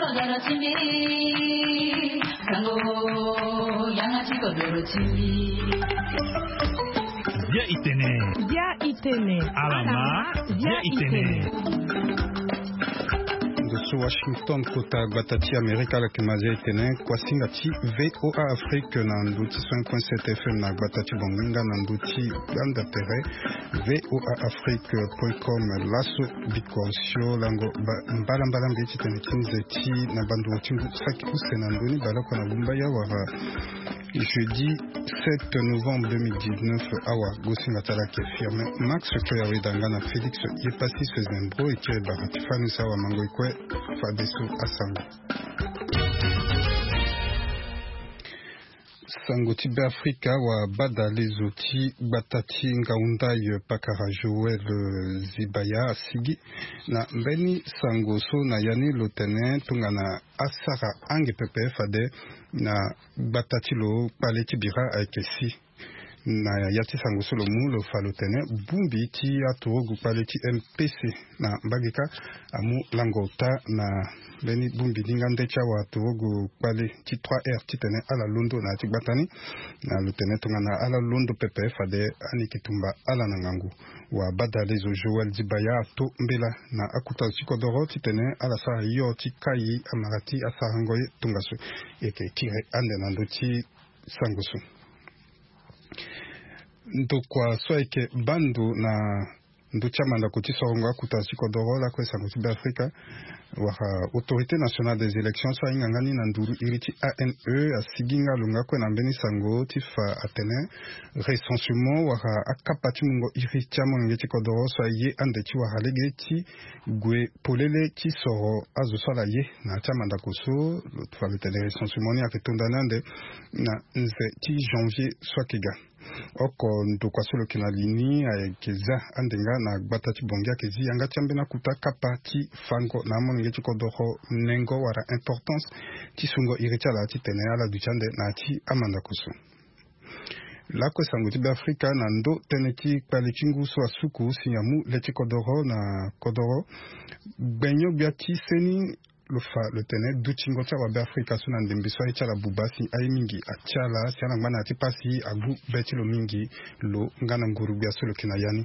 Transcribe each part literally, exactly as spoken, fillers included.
Bia itene. Bia itene. Alama. Bia itene. Ndo so Washington, kota gbata ti Amerika, ala yeke ma zia e tene kuasinga ti V O A Afrique na ndo ti cent point sept F M na gbata ti Banginga na ndo ti gbanda tere V O A Afrique point com. Laso biko sio lango ba-, mbalambala mbi ti tene ti nze ti na bandungo ti ngu saki use na ndoni baleoko na Bumbaya wala jeudi sept novembre deux mille dix-neuf. Awa gosinga ti ala ayeke Firmin Max Coy aweda nga na Félix Yepassis Zembro e kiri bara ti fani so awa mango e kue. Fadeso asango. Sango ti Beafrika, wabadalezo ti gbata ti Ngaoundai, pakara Joël, eh, Zibaya asigi na mbeni sango so na ya ni lo tene tongana asara ange pepe fade na gbata ti lo kpale ti bira ayeke si. Na ya ti sango so lo mu lo fa lo tene bongbi ti aturugu kpale ti M P C na mbage kâ amu lango ota na mbeni bongbi ni nga nde ti awa aturugu kpale ti trois R titene ala londo na ya ti gbata ni. Na lo tene tongana ala londo pepe fade ani yeke tumba ala na ngangu. Wabadalezo Joël Dibaya ato mbela na akota zo ti kodoro titene ala sara hio ti kai amara ti asarango ye tongaso. E yeke kiri ande na ndö ti sango so. Ndokua so ayeke baa ndo na ndö ti amandako ti sorongo akuta ti kodoro lakue sango ti Beafrika, wala Autorité Nationale des Élections so ahinga nga ni na nduru iri ti A N E, asigi nga lo nga kue na mbeni sango ti fa atene recensement wala akapa ti mungo iri ti amolenge ti kodoro so aye ande ti wara lege ti gue polele ti soro azo so ala ye na ya ti amandako so. Lo fa lo tene recensement ni ayeke tonda ni ande na nze ti janvier so ayeke ga. Oko ndokua so lo yeke na li ni ayeke za ande nga na gbata ti Bangui ayeke zi yanga ti ambeni akuta kapa ti fango na amolenge ti kodoro nengo wala importance ti sungo iri ti ala titene ala duti ande na ya ti amandako so. Lakue sango ti Beafrika na ndö tënë ti kpale ti ngu so asuku si amu le ti kodoro na kodoro. Gbenyo-gbia ti seni lo fa lo tene dutingo ti awabe Afrika so na ndembe so aye ti ala buba si aye mingi atia ala si ala ngba na ya ti pasi agu be ti lo mingi. Lo nga na nguru-gbia so lo yeke na ya ni.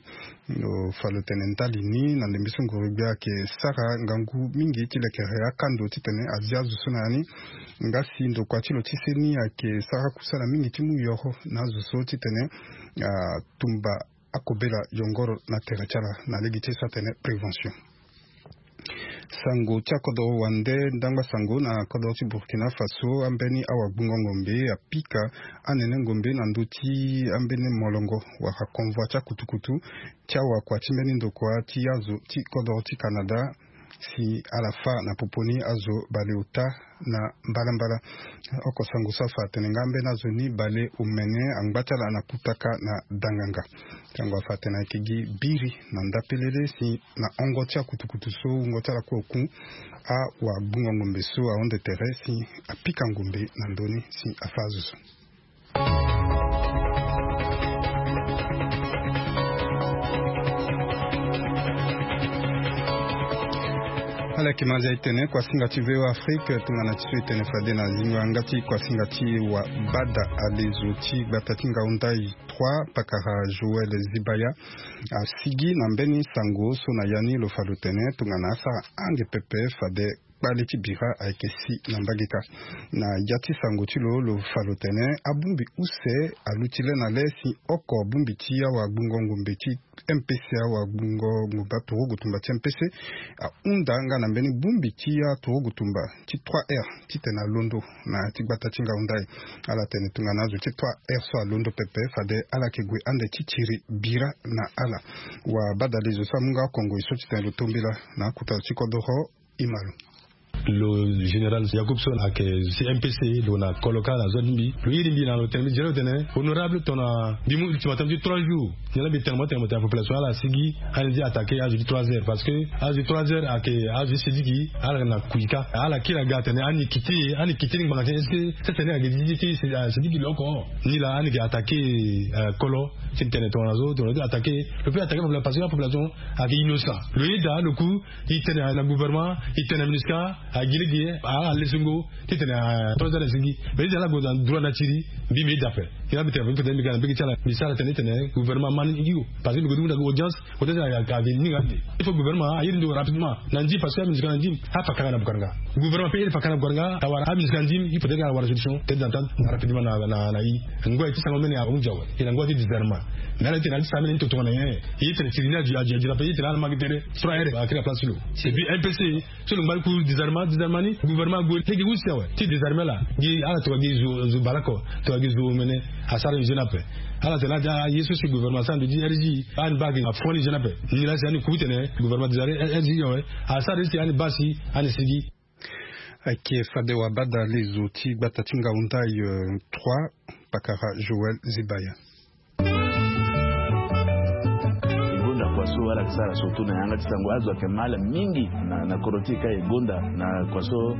Lo fa lo tene ndali ni na ndembe so nguru-gbia ayeke sara ngangu mingi ti lekere akando titene azia azo so na ya ni. Nga si ndokua ti lo ti seni ayeke sara kusala mingi ti mu yoro na azo so titene atumba akobela yongoro na tere ti ala na lege ti so atene prévention. Sango ti akodoro wande ndangba sango na kodoro ti Burkina Faso, ambeni awagbungo ngombe apika anene ngombe na ndö ti ambeni molongo wala convoi ti akutukutu ti awakua ti mbeni ndokua ti azo ti kodoro ti Canada si ala fâ na popo ni azo baleota na mbalambala. Oko sango so afa atene nga ambeni azo ni bale omene angba ti ala na kutaka na danganga. Sango afa atene ayeke gi biri na ndapelele si na hongo ti akutukutu so wungo ti ala kue oku, awagbungo ngombe so ahonde tere si apika ngombe na ndö ni si afâ azo so. Ala yeke ma zia e tene kuasinga ti V O A Afrique tongana ti so e tene fade na zingo yanga ti kuasinga ti wabada alezo ti gbata ti Ngaoundai trois, pakara Joël Zibaya asigi na mbeni sango so na ya ni lo fa lo tene tongana asara ange pepe fade kpale ti bira ayeke si na mbage kâ. Na ya ti sango ti lo lo fa lo tene abongbi use aluti le na le si oko bongbi ti awagbungo ngombe ti M P C awagbungo ngombe aturugu tumba ti M P C ahunda nga na mbeni bongbi ti aturugu tumba ti trois R titene alondo na ya ti gbata ti Ngaoundai. Ala tene tongana azo ti trois R so alondo pepe fade ala yeke gue ande ti tiri bira na ala. Wabadalezo so amu nga oko ngoi so titene lo to mbela na akuta zo ti kodoro. Imalo. Lo général Yacoub so ayeke si M P C lo na kolo kâ na zo ti mbi lo iri mbi na lo tene mbi zia lo tene honorable tongana mbi mu ultimatum ti trois jours. Nyen la mbi tene mo tene mo tene population ala sigi ani ti attaquer azo ti trois heures parce que azo ti trois heures ayeke azo ti sidiki ala na kui kâ ala kiri aga atene ani kiti ani kiti ni ngbanga ti est-ce que sese ni ayeke ti sidiki lo oko ni laa ani yeke attaquer kolo ti tene tongana zo tongana zo ti attaquer lo peut attaquer population parce que apopulation ayeke innocent lo yeda lo ku. E tene na gouvernement e tene na MINUSCA. Agi lege ala lesengo titene trois ans na zingi. Mais titene ala gue na droit na tiri, mbi mbi dape. Kena mbi tene mbi tene mbi ga na mbege ti ala mbi sara tene titene gouvernement amani ngi o. Parce que mbi gue ti mu na audience, audience ayaka ave ni nga ande. Il faut gouvernement ayiri ndo rapidement na ndim, parce que amusika na ndim afa kanga na bukaranga. Gouvernement pe iri fa kanga na bukaranga awara amusika na ndim. Il faut tene ala wara solution, tete d'entente rapidement na na i. Ngoi ti sango mene ahunzi awe. Ina ngoi ti disarmement. Mais ala titene ala ti sa mene ni totongana nyen? Ye tene tiri ni adi adi adi na pe ye tene ala mangi tere trois heures akiri na place lo. C'est puis M P C. So lo ngba ni ku disarmement, disarmement ni gouvernement ague lege use awe ti disarmement la gi ala tokua gi zo zo baleoko, tokua gi zo omene. Asara ni zo ni ape. Ala tene ala ti aye so si gouvernement asara ndo ti R G ani baa gi afo ni zo ni ape. Ni laa si ani ku tene gouvernement disarmement R G awe. Asara ni si ani baa si ani sigi. Ayeke fade wabada lezo ti gbata ti ngaundai trois, pakara Joël Zibaya. E gonda kua so ala yeke sara surtout na yanga ti sango azo ayeke ma ala mingi na na kodro ti e ka e gonda na kua so.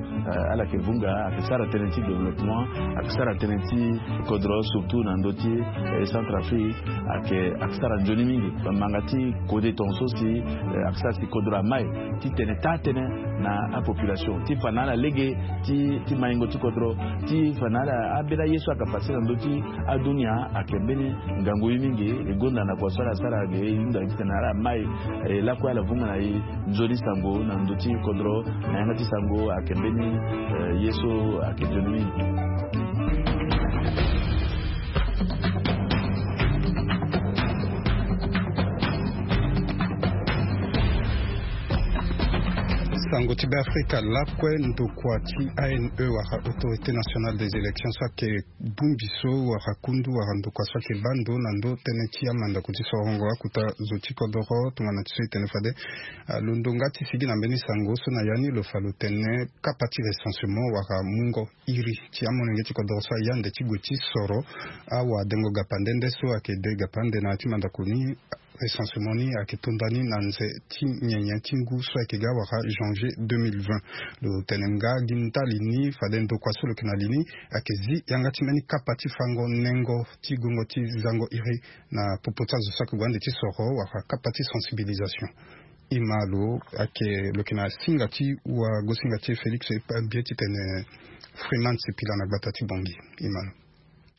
Ala yeke vunga ayeke sara tënë ti développement, ayeke sara tënë ti kodro surtout na ndö ti Centrafrique. Ayeke ayeke sara nzoni mingi. Bambanga ti kode tongaso si ayeke sara si kodro amai titene taa tënë na apopulation ti fa na ala lege ti maingo ti kodro, ti fa na ala ambeni aye so ayeke pase na ndö ti adunia. Ayeke mbeni ngangu ye mingi. E gonda na kua so ala sara ge e hunda titene ala mai lakue ala vunga na e nzoni sango na ndö ti kodro na yanga ti sango ayeke mbeni ye so ayeke nzoni mingi. Sango ti Beafrika lakue, ndokua ti A N E wala Autorité Nationale des Élections so ayeke bongbi so wala kundu wala ndokua so ayeke baa ndo na ndo tënë ti amandako ti sorongo akuta zo ti kodoro tongana ti so e tene fade. Lo ndonga ti sigi na mbeni sango so na ya ni lo fa lo tene kapa ti recensement wala mungo iri ti amolenge ti kodoro so aye ande ti gue ti soro awadengo gapande nde so ayeke de gapande na ya ti mandako ni. Recensement ni ayeke to ndani na nze ti nyenye ti ngu so ayeke ga wala janvier deux mille vingt. Lo tene nga gi ndali ni fade ndokua so lo yeke na li ni ayeke zi yanga ti mbeni kapa ti fango nengo ti gongo ti zango iri na popo ti azo so ayeke gue ande ti soro wala kapa ti sensibilisation. Ima lo ayeke lo yeke na singa ti wagosinga ti e Félix Ebie titene Freeman Sipila na gbata ti Bangui. Ima lo.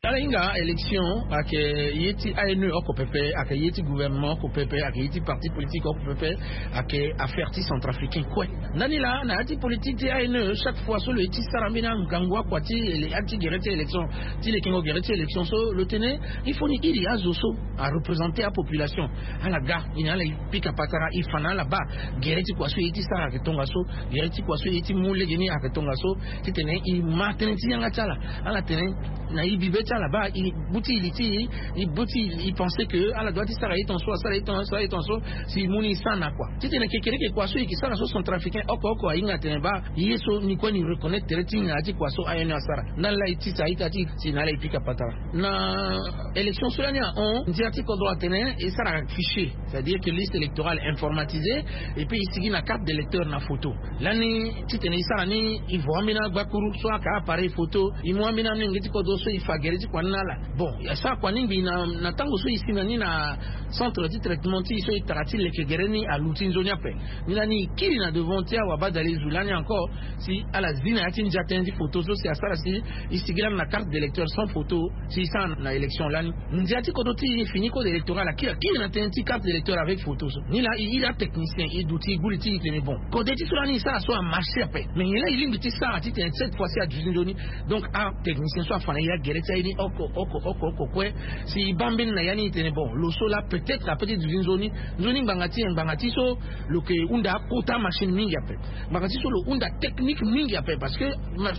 Ala hinga élection ayeke ye ti A N E oko pepe, ayeke ye ti gouvernement oko pepe, ayeke ye ti parti politique oko pepe. Ayeke affaire ti centrafricain kue. Ndani laa na ya ti politique ti A N E chaque fois so lo ye ti sara ambeni angangu akua ti ele- ya ti gere ti élection, ti lekengo gere ti élection so lo tene il faut ni iri azo so areprésenter apopulation. Ala ga, i na ala e pika patara, e fa na ala baa gere ti kua so e ye ti sara ayeke tongaso, gere ti kua so e ye ti mu legeni ayeke tongaso. Titene e ma tënë ti yanga ti ala. Ala tene na e bibe ti ala baa e buti e li ti e, e buti e pense que ala doit ti sara ye tongaso, asara ye tongaso, asara ye tongaso. Si e mu ni e sara na kua titene kekereke kua so e yeke sara so centrafricain oko oko ahinga atene baa ye so ni kue ni reconnaître tere ti ni na ya ti kua so A N E asara. Ndani laa e tisa a-ita ti e si na ala e pika patara. Na élection so lani ahon ndia ti kodro atene e sara fichier, c'est-à-dire que liste électorale informatisée, et puis e sigi na carte d'électeur na photo. Lani titene e sara ni, e vo ambeni agbakuru so ayeke appareil photo, e mu ambeni amolenge ti kodro so e fa gere ti kua ni na ala. Bon, e sara kua ni ngbii na na tango so e si na ni na centre ti traitement ti e so e tara ti leke gere ni aluti nzoni ape. Ni lani e kiri na devant ti awabadale zu lani encore si ala zi na ya ti ndia tënë ti photo so si asara si e sigi lani na carte d'électeur sans photo si e sara na élection lani. Ndia ti kodro ti e fini code électoral akiri akiri na tënë ti carte d'électeur avec photo so. Ni laa e iri atechnicien e duti e gbu li ti e tene bon, kode ti so lani e sara so amarché ape. Mais nyen laa e lingbi ti sara titene cette fois ci aduti nzoni? Donc atechnicien so afa na e agere ti aye ni oko oko oko oko kue. Si e baa mbeni na ya ni e tene bon, lo so laa peut-être ape ti duti nzoni. Nzoni ngbanga ti e ngbanga ti so lo yeke hunda akota machine mingi ape. Ngbanga ti so lo hunda technique mingi ape parce que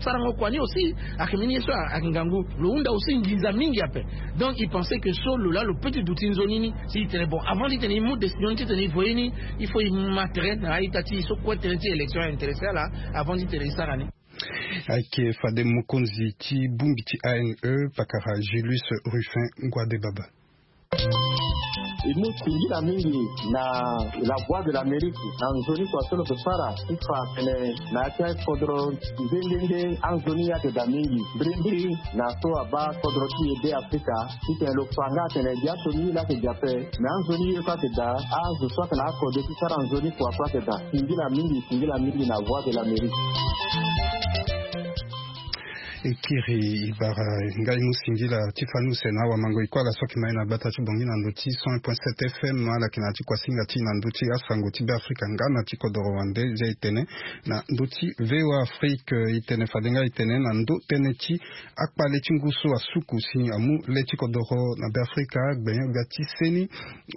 sarango kua ni aussi ayeke mbeni ye so ayeke ngangu. Lo hunda aussi nginza mingi ape. Donc e pense que so lo laa lo peut ti duti nzoni ni. Si e tene bon, avant titene e mu décision ni titene e voye ni, il faut e ma tere na a-ita ti e so kue tënë ti élection aintéressé ala avant titene e sara ni. Ayeke fade mokonzi ti bongbi ti A N E pakara Julius Rufin Ngouadebaba. E mu singila mingi na la Voix de l'Amérique na nzoni kua so lo ke sara ti fa atene na ya ti akodro nde nde nde anzoni ayeke daa mingi. Mbirimbiri na so abaa kodro ti e be Afrika titene lo fa nga atene gi aso ni ye laa ayeke gi ape. Me anzoni ye kue ayeke daa, azo so ayeke na akode ti sara nzoni kua kue ayeke daa. Singila mingi, singila mingi na Voix de l'Amérique. E kiri e bara ngai mu singila ti fani use na awamango e kue ala so ayeke ma e na gbata ti bongi na ndö ti cent un point sept F M, ala yeke na ya ti kuasinga ti e na ndö ti asango ti Beafrika nga na ti kodoro wande. Zia e tene na ndö ti V O A Afrique, e tene fade nga e tene na ndö tënë ti akpale ti ngu so asuku si amu le ti kodoro na Beafrika, gbenyo-gbia ti seni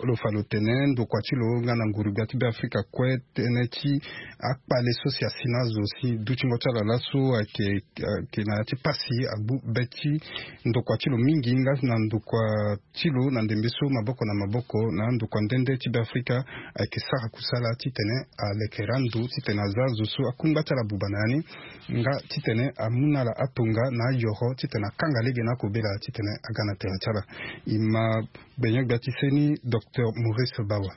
lo fa lo tene ndokua ti lo nga na nguru-gbia ti Beafrika kue, tënë ti akpale so si asi na azo si dutingo ti ala laso ayeke, ayeke na ya ti pasi agbu be ti ndokua ti lo mingi nga na ndokua ti lo na ndembe so maboko na maboko na ndokua nde nde ti Beafrika ayeke sara kusala titene alekere ando titene aza azo so akungba ti ala buba na ya ni nga titene amu na ala atonga na ayoro titene akanga lege na akobela titene aga na tere ti ala. E ma gbenyo-gbia ti seni, Docteur Maurice Bawa.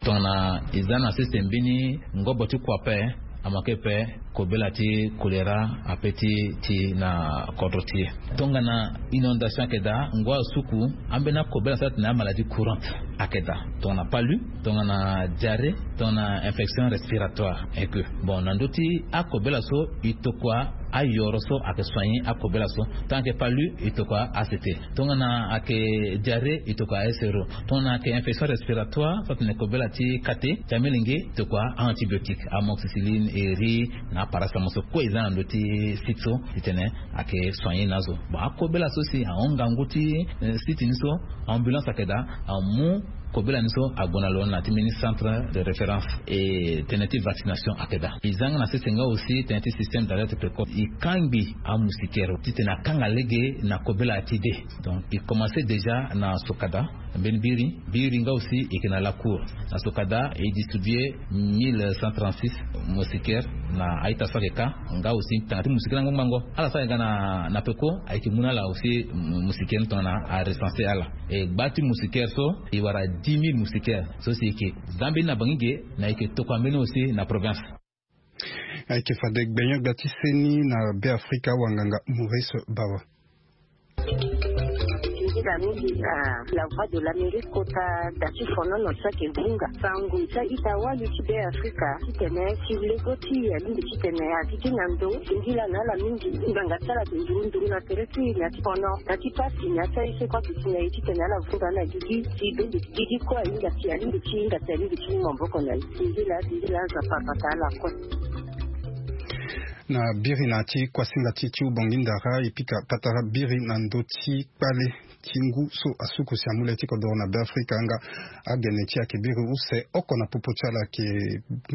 Tongana e za na sese mbeni ngobo ti kua ape, amake ape kobela ti kolera ape ti ti na kodro ti e. Tongana inondation ayeke daa, ngu asuku, ambeni akobela so atene amaladie courante ayeke daa. Tongana palu, tongana diarrhée, tongana infection respiratoire. Eke bon, na ndö ti akobela so e tokua ayoro so ayeke soigner akobela so. Tongana ayeke palu, e tokua A C T. Tongana ayeke diarrhée, e tokua A S R O. Tongana ayeke infection respiratoire so atene kobela ti kate ti amilenge, e tokua a-antibiotique, amoxicilline, eri na aparacétamol so kue e za na ndö ti site so titene ayeke soigner na azo. Bon, akobela so si ahon ngangu ti, eh, site ni so, ambulance ayeke daa, amu kobela ni so ague na lo na ti mbeni centre de référence. E tënë ti vaccination ayeke daa. E za nga na sese nga aussi tënë ti système d'alerte précoce. E kangbi amoustiquaire titene akanga lege na kobela ti de. Donc e commencé déjà na Sokada, mbeni biri, biri nga aussi e yeke na lacour. Na Sokada e distribué mille cent trente-six moustiquaires na a-ita so ayeke ka, nga aussi tanga ti moustiquaire angbango. Ala so ayeke ga na, na peko ayeke mu na ala aussi mou-, moustiquaire ni tongana arecensé ala. E gba ti moustiquaire so e wara dix mille moustiquaires so si e yeke za mbeni na Bangi ge, na e yeke tokua mbeni aussi na province. Ayeke fade gbenyo-gbia ti seni na Beafrika, wanganga Maurice Bawa. Singila mingi na La Voix de l'Amérique kota da ti fonono so ayeke vunga sango ti a-ita wali ti Beafrika titene ti lego ti e alingbi titene a gigi na ndo. Singila na ala mingi. Ngbanga ti ala ayeke nduru nduru na tere ti e na ya ti fono, na ya ti pasi, na ya ti aye so kue ayeke si na e titene ala vunga na gigi ti beni gigi kue ahinga ti, alingbi ti hinga ti, alingbi ti mu maboko na e. Singila, singila, Nzapa abata ala kue. Na biri na ya ti kuasinga ti e ti ubongi ndara, e pika patara biri na ndö ti kpale ti ngu so asuku si amu le ti kodoro na Beafrika nga agene ti e ayeke biri use oko na popo ti ala ayeke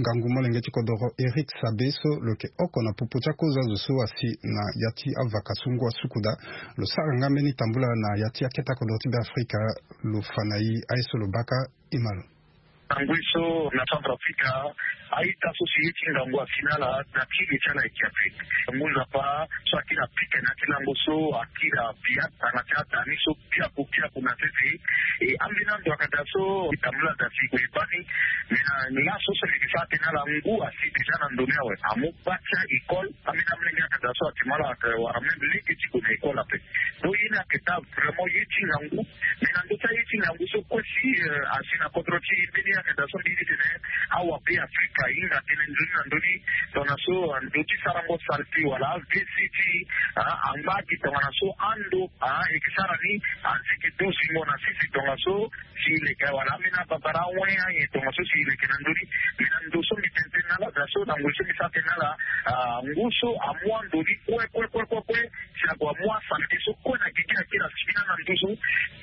ngangu molenge ti kodoro Eric Sabe so lo yeke oko na popo ti akozo azo so asi na ya ti avaka so ngu asuku daa. Lo sara nga mbeni tambula na ya ti akete kodoro ti Beafrika. Lo fa na e aye so lo baka. E ma lo. Ngangu so na Centrafrique, a-ita so si ye ti ngangu asi na ala na ti le ti ala ayeke ape. Ngu Nzapa so akiri apika na ya ti lango so akiri apia tanga ti ada ni so biaku biaku na sese. E ambeni ando ayeke daa so e tambula daa si e gue e baa ni. Me na laso so mbi yeke sara tënë na ala, ngu asi déjà na ndo ni awe, amu gba ti a-école. Ambeni amolenge ayeke daa so ayeke mu ala ayeke wara même lege ti gue na école ape. Donc ye ni ayeke daa vraiment ye ti ngangu. Me na ndö ti aye ti ngangu so kue si, eh, asi na kodro ti e mbeni ayeke daa so mbi ye ti tene awa Beafrika ahinga tënë nzoni na ndö ni. Tongana so, eh, ndö ti sarango salté wala V C ti, ah, angba gi tongana so ando, ah, e yeke sara ni, ah, asigi duzingo na sese tongana so si e leke wala ambeni ababara awen ayen tongana so si e leke na ndö ni. Me na ndo so mbi tene tënë na ala daa so na ngoi so mbi sara tënë na ala, ah, ngu so amu ando ni kue kue kue kue kue. Si ague amu asalite so kue na gigi akiri asigi na nduzu.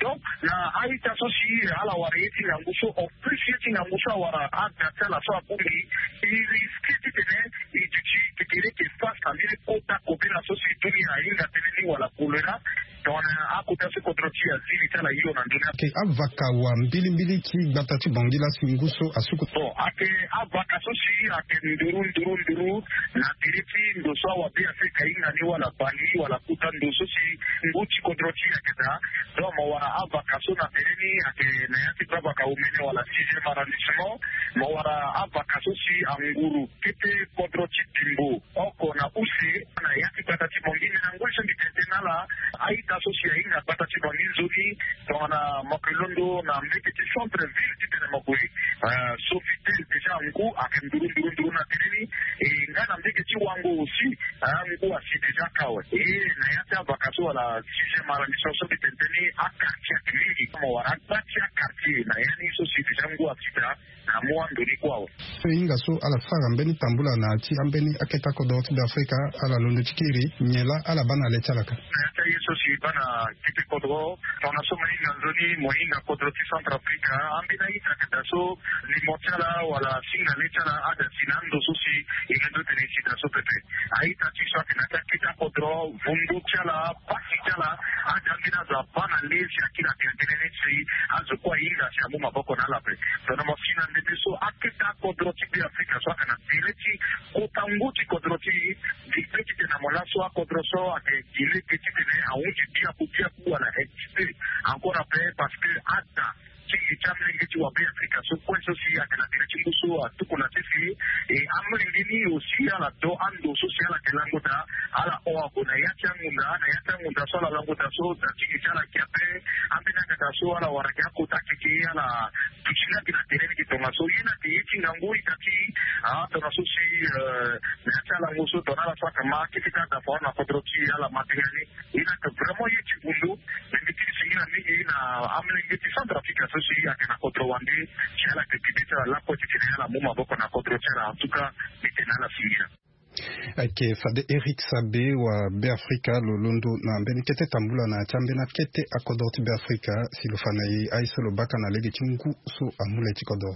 Donc na a-ita so si ala wara ye ti ngangu so, en plus ye ti ngangu so awara ada ti ala so abongbi, e risque titene e duti titene e yeke face na mbeni kota kobela so si dunia ahinga tënë ni wala kolera. Tongana akota so kodro ti e aziri ti ala hio na ndoni. Ayeke avaka wa mbilimbili ti gbata ti Bangui la si ngu so asuku. Bon, ayeke avaka so si ayeke nduru nduru nduru na tere ti ndo so awa Be Afrika ahinga ni wala bali wala kota ndo so si ngu ti kodro ti e ayeke daa. Donc mo wara avaka so na tere ni ayeke na ya ti baa vaka omene wala sixième arrondissement. Mo wara avaka so si anguru kete kodro ti Bimbo oko na use na ya ti gbata ti Bangui. Me na ngoi so mbi tene tënë na ala, a-ita so si ahinga gbata ti Bangui nzoni, tongana mo yeke londo na mbege ti centre ville titene mo gue, eh, Sofitel, déjà ngu ayeke nduru nduru nduru na tere ni. E nga na mbege ti Wango aussi, eh, ngu asi déjà kâ awe. E na ya ti avaka so wala sixième arrondissement so mbi tene tënë ni, aquartier ayeke mingi. Mo wara agba ti aquartier na ya ni so si déjà ngu asi daa. Amu ando ni kue awe. So e hinga so ala sara mbeni tambula na ya ti ambeni akete akodro ti Be Afrika, ala londo ti kiri nyen laa ala baa na le ti ala ka? Na ya ti aye so si e baa na kete kodro, tongana so mo hinga nzoni mo hinga kodro ti Centrafrique, ambeni a-ita ayeke daa so limo ti ala wala singa le ti ala ada si na ando so si e londo tene e si daa so pepe. A-ita ti so ayeke na ya ti akete akodro, vundu ti ala, pasi ti ala, ade ambeni azo abaa na le si akiri atene tënë ni si azo kue ahinga si amu maboko na ala ape. Tongana mo si na ndembe so akete akodro ti Be Afrika so ayeke na tere ti kota ngu ti kodro ti e, gi be titene na mo laso akodro so ayeke gi lege titene ahunzi biaku biaku wala excité encore ape, parce que ada ti gi ti amolenge ti wa Be Afrika so kue so si ayeke na tere ti ngu so atuku na sese. E amolenge ni aussi ala do ando so si ala yeke lango daa, ala hon ague na ya ti angunda, na ya ti angunda so ala lango daa so da ti gi ti ala ayeke ape. Ambeni angata so ala wara gi akota keke ala duti nga gi na tere ni gi tongaso. Ye ni ayeke ye ti ngangu ita ti, ah, tongaso si, eh, na ya ti alango so tongana ala so ayeke ma akete ti ada foro na kodro ti e ala ma tënë ni. Ye ni ayeke vraiment ye ti gundu. Me mbi tene singila mingi na amolenge ti Centrafrique so si ayeke na kodro wande, si ala yeke gi be ti ala lakue titene ala mu maboko na kodro ti ala. En tout cas, mbi tene na ala singila. Ayeke fade Eric Sabe wa Be Afrika lo londo na mbeni kete tambula na ya ti ambeni akete akodro ti Be Afrika si lo fa na e aye so lo baka na lege ti ngu so amu le ti kodro.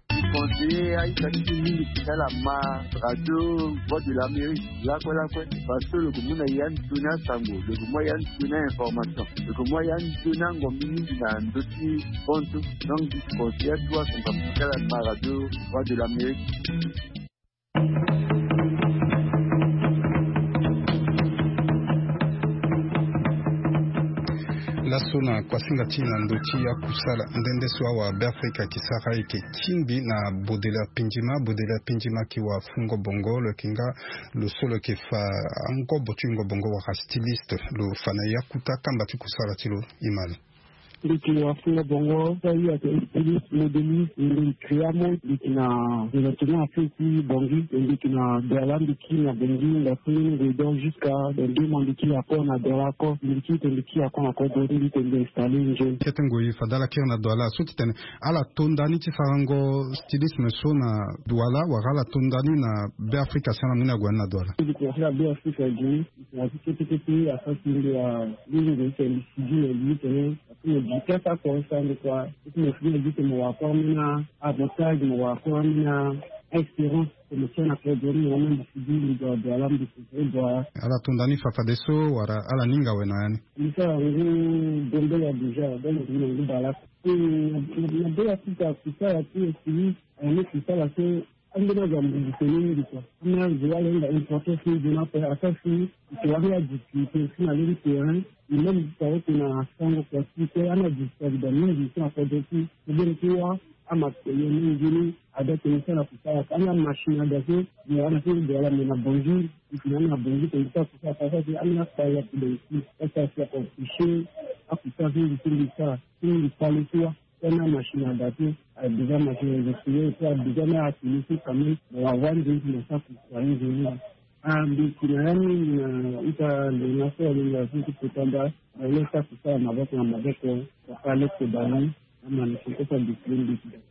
Conseiller aita ti mingi ti ala ma radio Voix de l'Amérique lakue lakue, parce que lo ke mu na ya nzoni asango, lo ke mu ya nzoni a-information, lo ke mu ya nzoni angombi mingi na ndö ti bonso. Donc, conseiller atu asango ti ala ma radio Voix de l'Amérique. Laso na kuasinga ti na ndo ti akusala nde nde so awa Be Afrika ayeke sara ayeke tingbi na Baudelaire Pindjima. Baudelaire Pindjima ayeke wa fungo bongo, lo yeke nga lo so lo yeke fa angobo ti wungo bongo wala styliste. Lo fa na e akuta kamba ti kusala ti lo. E ma lo. Mbi yeke wa fungo bongo, so aye ayeke styliste, modéliste, mbi yeke créer amont, mbi yeke na département affaires ti Bangui, mbi yeke na Douala, mbi kiri na Bangui, mbi afungo ni ngoi donc jusqu'à dans deux mois mbi kiri encore na Douala encore, mbi kiri tene mbi kiri encore na kodro ti mbi tene mbi installer nzoni. Kete ngoi fade ala kiri na Douala so titene ala to nda ni ti sarango stylisme so na Douala, wala ala to nda ni na Be Afrika si ala mu ni ague ni na Douala? Mbi yeke na Be Afrika gi ni, mbi yeke na ti kete kete asara ti mbi alingi mbi tene mbi sigi na mbi tene. Parce que mo gi kâ ti akoresango kua. Et puis mo fini na gi tene mo wara kue ambeni a-avantage, mo wara kue ambeni a-expérience. Tene mo tia na kodro ni mo wara na mbi sigi mbi gue na Douala, mbi préféré gue na Douala. Ala to nda ni fa fadeso wala ala ninga awe na ya ni? Mbi sara ngu Gambela déjà, donc mbi na ngu bale. Na, na, na Be Afrika kusala ti e si ayeke sara so Ambeni azo ambugu tene mingi kua. Ambeni azo wala hinga importance ni nzoni ape, asara si e wara adifficulté aussi na lege ti terrain. E même ti sara oko na sango kua ti e, ambeni adifficulté ayeke daa mingi so na kodro ti e. Ti mbeni ti wâ amatériel ni nzoni ada tene e sara kusala. Ambeni amachine ada so, mo wara na so Douala, me na Bangui, e tene ambeni na Bangui tene e sara kusala, asara si ambeni akpale ayeke daa aussi. Asara si ayeke empêcher akusala so mbi so mbi sara, so mbi kpale ti wâ. Tena machine ada ti, a déjà machine réseau privé, et puis a déjà na atelier ti quand même, mo wara wâ nzoni ti mo sara kusala nzoni. Ah, mbi yeke na ya mingi na ita lona so alingbi so ti kota nda, na ye sara kusala maboko na maboko, wala leke bale.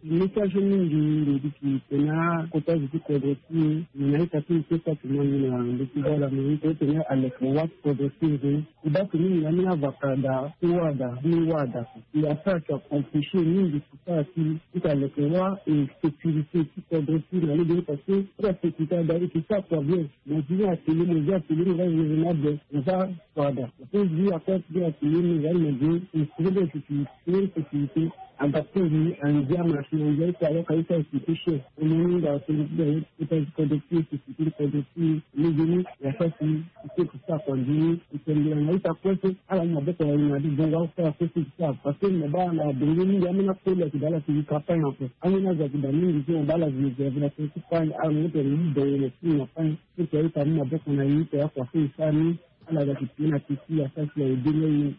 Message mingi mbi duti tene akota zo ti kodro ti e, na ita ti mbi so ti akima mbi na ndö ti vala mbi tene aleke wa ti kodro ti e. E baa tene mbi na ambeni avaka daa ti wara daa, ambeni wara daa. Mbi asara ti aconfession mingi ti sara ti ti aleke wa e sécurité ti kodro ti e na lege ni parce que ti asécurité ada e ke sara kua bien. Mo zi ni atelier, mo zi atelier, mo za zi na be, mo za kua daa. Parce que zi akota ti atelier mo za ni mo zi instrument de sécurité, sécurité. Adapté ni andia machine andia ita alors ka ita expliqué cher. Omoni nga so ni ti da ye ita ti kodro ti e, société ti kodro ti e. Lege ni ya sa si ita ti sara kua nzoni ni itembela na ita kue so ala mu maboko na ye na adi bongo asara kue so ti sara parce que mo baa na bongo mingi ambeni akoli ayeke daa ala ti yika pain ape. Ambeni azo ayeke daa mingi so mo baa ala zi yeke na tene ti pain ala mo tene ni bongo na ti na pain. Ita ita mu maboko na ye ita ya kua so e sara ni. Ala ga ti pie na ti ti ya sa si aye denge ye.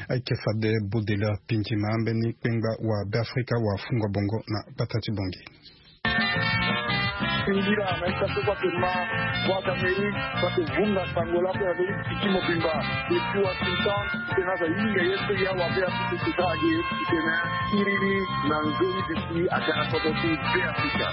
Ayeke fade Baudelaire Pindima, mbeni kpengba wa Beafrika wa fungua bongo na gbata ti Bangui. Singila na ita so kua ke ma wa Kamerun kua ke vunga sango la pe na ndö ti tiki mobimba. Depuis Washington, titene aza hinga ye so ya wa Beafrika ti sara ge titene siriri na nzoni duti aga na kodro ti Beafrika.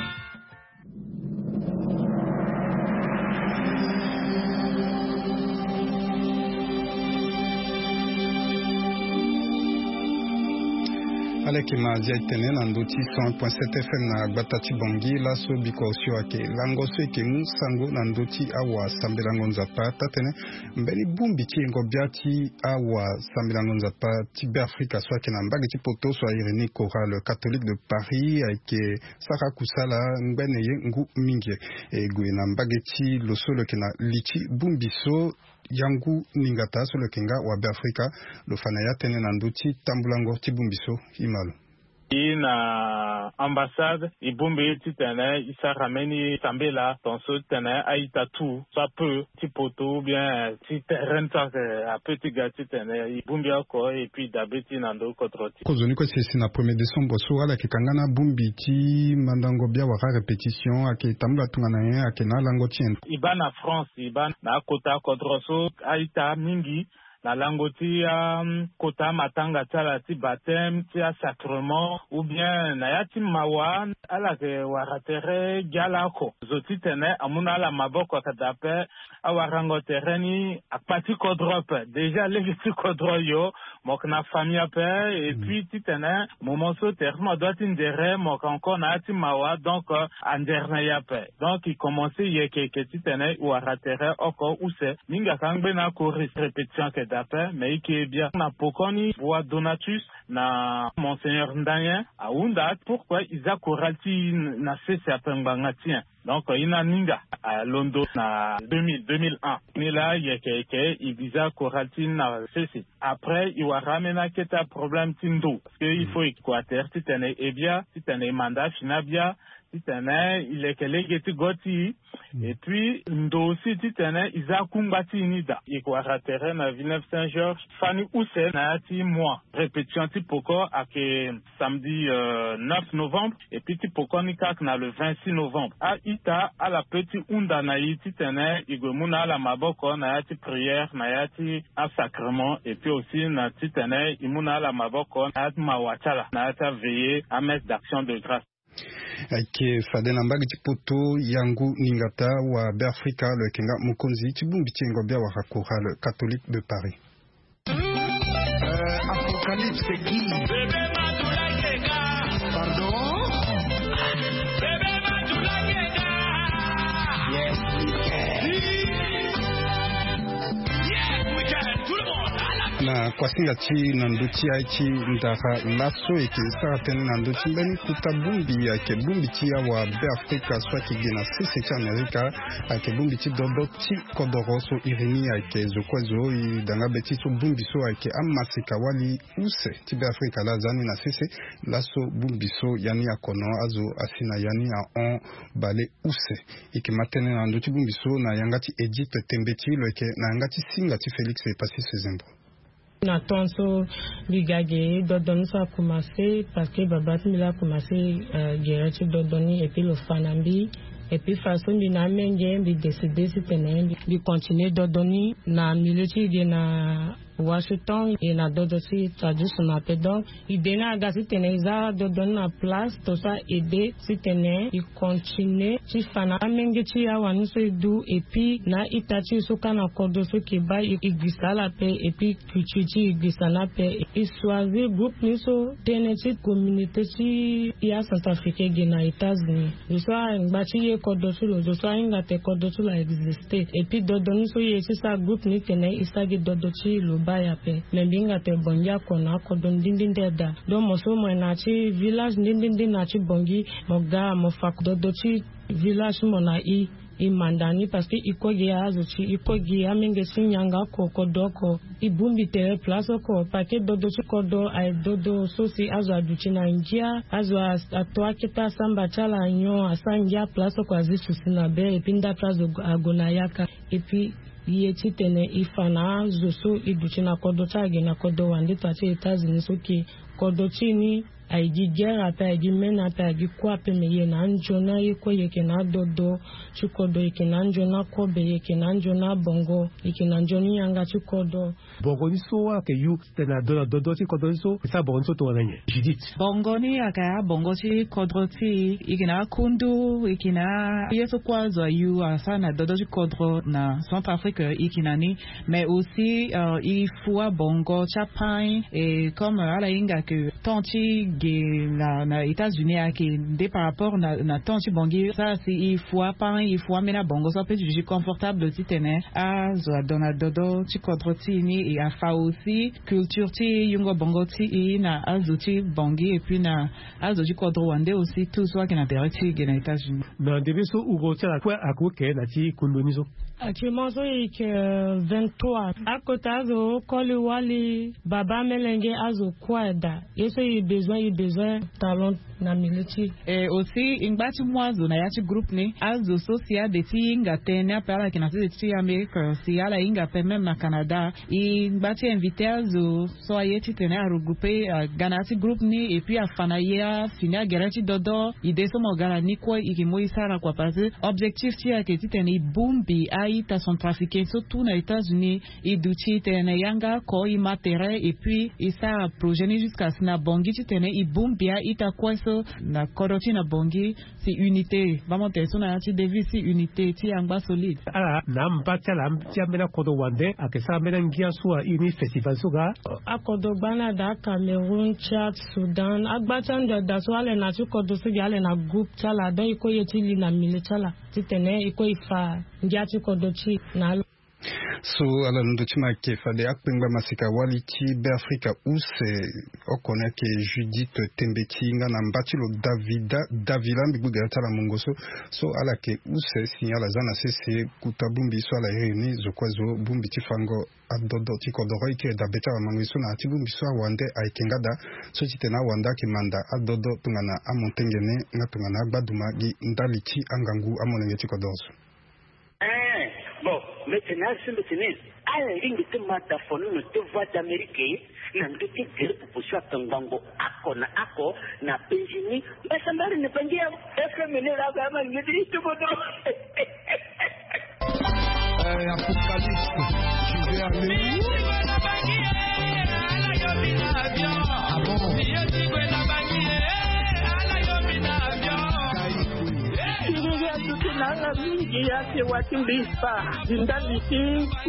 Ala yeke ma azia etene na ndö ti cent point sept F M na gbata ti Bangui laso biko osio ayeke lango so e yeke mu sango na ndö ti awasambelango nzapa taa-tënë mbeni bongbi ti yengo bia ti awasambelango nzapa ti Beafrika so ayeke na mbage ti poto so a iri ni Chorale Catholique de Paris ayeke sara kusala ngbene ye ngu mingi. E gue na mbage ti lo so lo yeke na li ti bongbi so Yangu Ningata so lo yeke nga wa Beafrika lo fa na ya tënë na ndö ti tambulango ti bongbi so. I ma lo. I na ambassade i bongbi titene i sara mbeni sambela tongaso titene a-ita tout soit peu ti poto ou bien ti terrain so ayeke ape ti ga titene i bongbi oko et puis i dabe ti na ndö kodro ti. Kozoni kue si si na premier décembre so ala yeke kanga na bongbi ti mandango bia wala répétition ayeke tambula tongana nyen ayeke na alango ti nyen? I baa na France, i baa na akota kodro so a-ita mingi na lango ti akota matanga ti ala ti baptême ti asacrement ou bien na ya ti mawa ala yeke wara tere gi ala oko. Zo titene amu na ala maboko ayeke daa ape. Awarango tere ni akpa ti kodro ape déjà lege ti kodro yo. Mo yeke na famille ape et puis titene moment so tere ti mo adoit ti ndere mo yeke encore na ya ti mawa donc andere na e ape. Donc i commence yeke yeke titene i wara tere oko use mingi ayeke angbe na akoris répétition ayeke daa ape mais i ke bia na pokoni bois Donatus na monseigneur Ndanyen ahunda pourquoi i za chorale ti i na sese ape ngbanga ti nyen. Donc i na ninga alondo na deux mille, deux mille un ni laa yeke yeke i biza chorale ti i na sese. Après i wara ambeni akete aproblème ti ndo parce que il faut i kua tere titene e bia titene i manda afini abia titene i leke lege ti go ti i. Et puis ndo aussi titene i za akungba ti i ni daa. I yeke wara tere na Villeneuve Saint Georges fani use na ya ti mois répétition ti poko ayeke samedi neuf novembre et puis ti poko ni kâ ayeke na le vingt-six novembre. A-ita ala pe ti hunda na i titene i gue mu na ala maboko na ya ti prière na ya ti asacrement et puis aussi na titene i mu na ala maboko na ya ti mawa ti ala na ya ti aveillée amesse d'action de grâce. Ayeke fade na mbage ti poto Yangu Ningata wa Beafrika lo yeke nga mokonzi ti bongbi ti yengo bia wala chorale catholique de Paris. Apocalypse qui? Pardon? Yes, we can. Na kuasinga ti na ndö ti aye ti ndara laso e yeke sara tënë na ndö ti mbeni kota bongbi ayeke bongbi ti awa Beafrika so ayeke gi na sese ti Amerika. Ayeke bongbi ti dodo ti kodoro so iri ni ayeke zo kue zo i da nga be ti so bongbi so ayeke amaseka wali use ti Beafrika laa aza ni na sese. Laso bongbi so ya ni akono azo asi na ya ni ahon bale use. E yeke ma tënë na ndö ti bongbi so na yanga ti Edith Tembeti lo yeke na yanga ti singa ti Félix Epasis Zembo. Na temps so mbi ga ge dodo ni so akomanse parce que babâ ti mbi laa akomanse gere ti dodo ni et puis lo fa na mbi. Et puis façon mbi na amenge mbi décide titene mbi continue dodo ni na milieu ti ge na Washington e na dodo ti tradition ape. Donc ide ni aga titene e za dodo ni na place to so a aide titene e continue ti fa na amenge ti awani so e du et puis na a-ita ti e so ka na kodro so ke baa e gbisa ala ape et puis culture ti e gbisa ni ape. E choisir groupe ni so tënë ti communauté ti e acentrafricain ge na États-Unis. Zo so angba ti ye kodro ti lo, zo so ahinga te kodro ti lo a existe. Et puis dodo ni so e ye ti sara groupe ni tene e sara gi dodo ti lo baa e ape. Me mbi hinga te bongi ako na akodro ndindindi daa. Donc mo so mo ye na ya ti village ndindindi na ya ti bongi, mo ga mo fa dodo ti village ti mo na e. E manda ni parce que e kue gi azo ti e, e kue gi amenge ti nyanga oko, kodro oko. E bongbi tere place oko parce que dodo ti kodro aye dodo so si azo aduti na ngia, azo ato akete asamba ti ala nyon, asara ngia place oko, azi susi na be et puis ndapre azo ague na yaka. Et puis e ye titene e fa na azo so e duti na kodro ti ala ge na kodro wande to ya ti États-Unis so ke kodro ti e ni aye gi guerre ape, aye gi mene ape, aye gi kue ape, me e ye na anzoni aye kue, e yeke na adodo ti kodro, e yeke na anzoni akobe, e yeke na anzoni abongo, e yeke na nzoni yanga ti kodro. Bongo ni so ayeke yu titene ado na dodo ti kodro ni so, e sara bongo ni so tongana nyen, Judith? Bongo ni ayeke abongo ti kodro ti e, e yeke na akundu, e yeke na ye so kue azo ayu asara na dodo ti kodro na Centrafrique, e yeke na ni. Mais aussi e fu abongo ti apain. Et comme ala hinga ke temps ti ge na États-Unis ayeke nde par rapport na temps ti bongi, sara si e fu apain, e fu ambeni abongo so ape ti duti confortable titene azo ado na dodo ti kodro ti e ni. E afa aussi culture ti yungo bongo ti e na azo ti bongi et puis na azo ti kodro wande aussi, tout so ayeke na tere ti e ge na États-Unis. Na ndembe so uro ti ala kue akoke na ti kundu ni so? Actuellement so e yeke vingt-trois. Akota azo koli wali, baba, melenge, azo kue daa. Ye so e besoin, e besoin talent na milieu ti e. Et aussi e ngba ti mu azo na ya ti groupe ni, azo so si ade ti hinga tënë ni ape, ala yeke na sese ti Amérique, si ala hinga ape même na Canada, e ngba ti invité azo so aye titene a regrouper aga na ya ti groupe ni et puis afa na e afini agere ti dodo. Ide so mo ga na ni kue e yeke mu e sara kua parce que objectif ti e ayeke titene e bongbi a-ita centrafricain so tout na États-Unis. E duti tene yanga oko e ma tere et puis e sara projet ni jusqu'à si na bongi titene e bongbi a-ita kue so na kodro ti e na bongi. Si unité, bamo tere so na ya ti devise ti unité ti angba solide. Ala na amba ti ala ti ambeni akodro wande ayeke sara ambeni angia so a iri ni festival so ga. Akodro gba ni ada, Cameroun, Tchad, Soudan, agba ti ando ada so ala ye na ya ti kodro so gi ala ye na groupe ti ala, donc e kue ye ti li na milieu ti ala titene e kue e fa ngia ti kodro ti e na ala. So ala londo ti ma ayeke fade akpengba masika wali ti Beafrika use oko ni ayeke Judith Tembeti nga na mba ti lo Davida Davila, mbi gbu gere ti ala mungo so. So ala yeke use si ala za na sese kuta bongbi so ala iri ni zo kue zo bongbi ti fango adodo ti kodoro. E yeke dabe ti ala mango ye so na ya ti bongbi so awande ayeke nga daa so titene awande ayeke manda adodo tongana amontengue ni nga tongana agbaduma gi ndali ti angangu amolenge ti kodoro so. Eh, bon, mbi tene asi mbi tene ala lingbi ti ma da fono na te Voix d'Amérique na ndö ti gere popo so aka ngbangbo ako na ako na penzi ni. Mbasambari na bangi ya F M ni la ga ma ngedi ti bodo. Eh, Apocalypse, je vais aller où? Ah bon? Siriri aduti na ala mingi ya si wa ti mbi fa ndali ti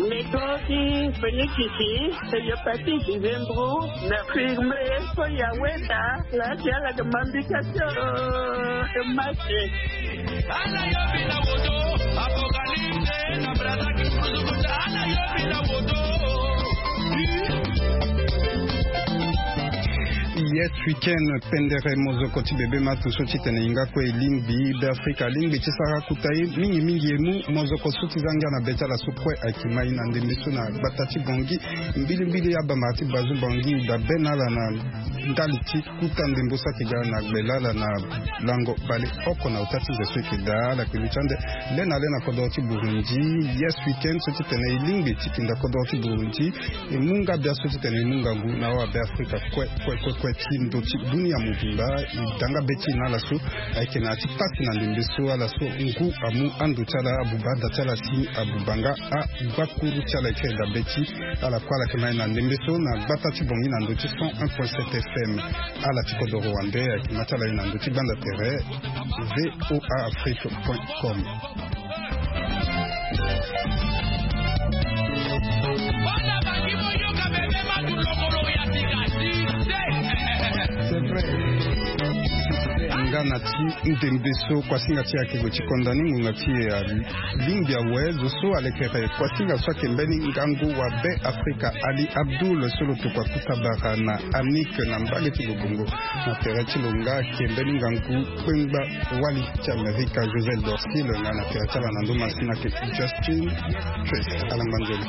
metro ti Fenikisi, Seigneur Patrick Zembro, na firme so ya weda la ti ala de mambi kasio de mache. Yes weekend. Pendere mozoko ti bebe matu so titene e hinga kue e lingbi Beafrika alingbi ti sara kuta ye mingi mingi. E mu mozoko so ti za ngia na be ti ala so kue ayeke ma e na ndembe so na gbata ti Bongi. Mbilimbili abamara ti Bazu Bongi e dabe na ala na ndali ti kuta ndembo so ayeke ga na gbela ala na lango baleoko na ota ti nze so e yeke daa. Ala yeke luti ande le na le na kodoro ti Burundi. Yes weekend so titene e lingbi ti tinda kodoro ti Burundi. E mu nga bia so titene e mu ngangu na awabe Afrika kue kue kue kue ti ti ndo ti dunia mobimba. E da nga be ti e na ala so ayeke na ya ti pasi na ndembe so ala so ngu amu ando ti ala abuba ada ti ala si abuba nga agbakuru ti ala. E kiri da be ti ala kue ala yeke ma e na ndembe so na gbata ti bongi na ndo ti cent un point sept F M. Ala ti kodoro wande ayeke ma ti ala e na ndo ti gbanda tere. V O A Afrique point com. Nga na ti ndembe so kuasinga ti e ayeke gue ti konda ni ngonga ti e alingbi awe zo so alekere kuasinga so ayeke mbeni ngangu wa be Afrika Ali Abdul so lo tokua kuta bara na Anik na mbage ti Bobongo. Na tere ti lo nga ayeke mbeni ngangu kpengba wali ti Amerika Josel Dorsil nga na tere ti ala na ndo masina ayeke Justin Trace. Ala ngba nzoni.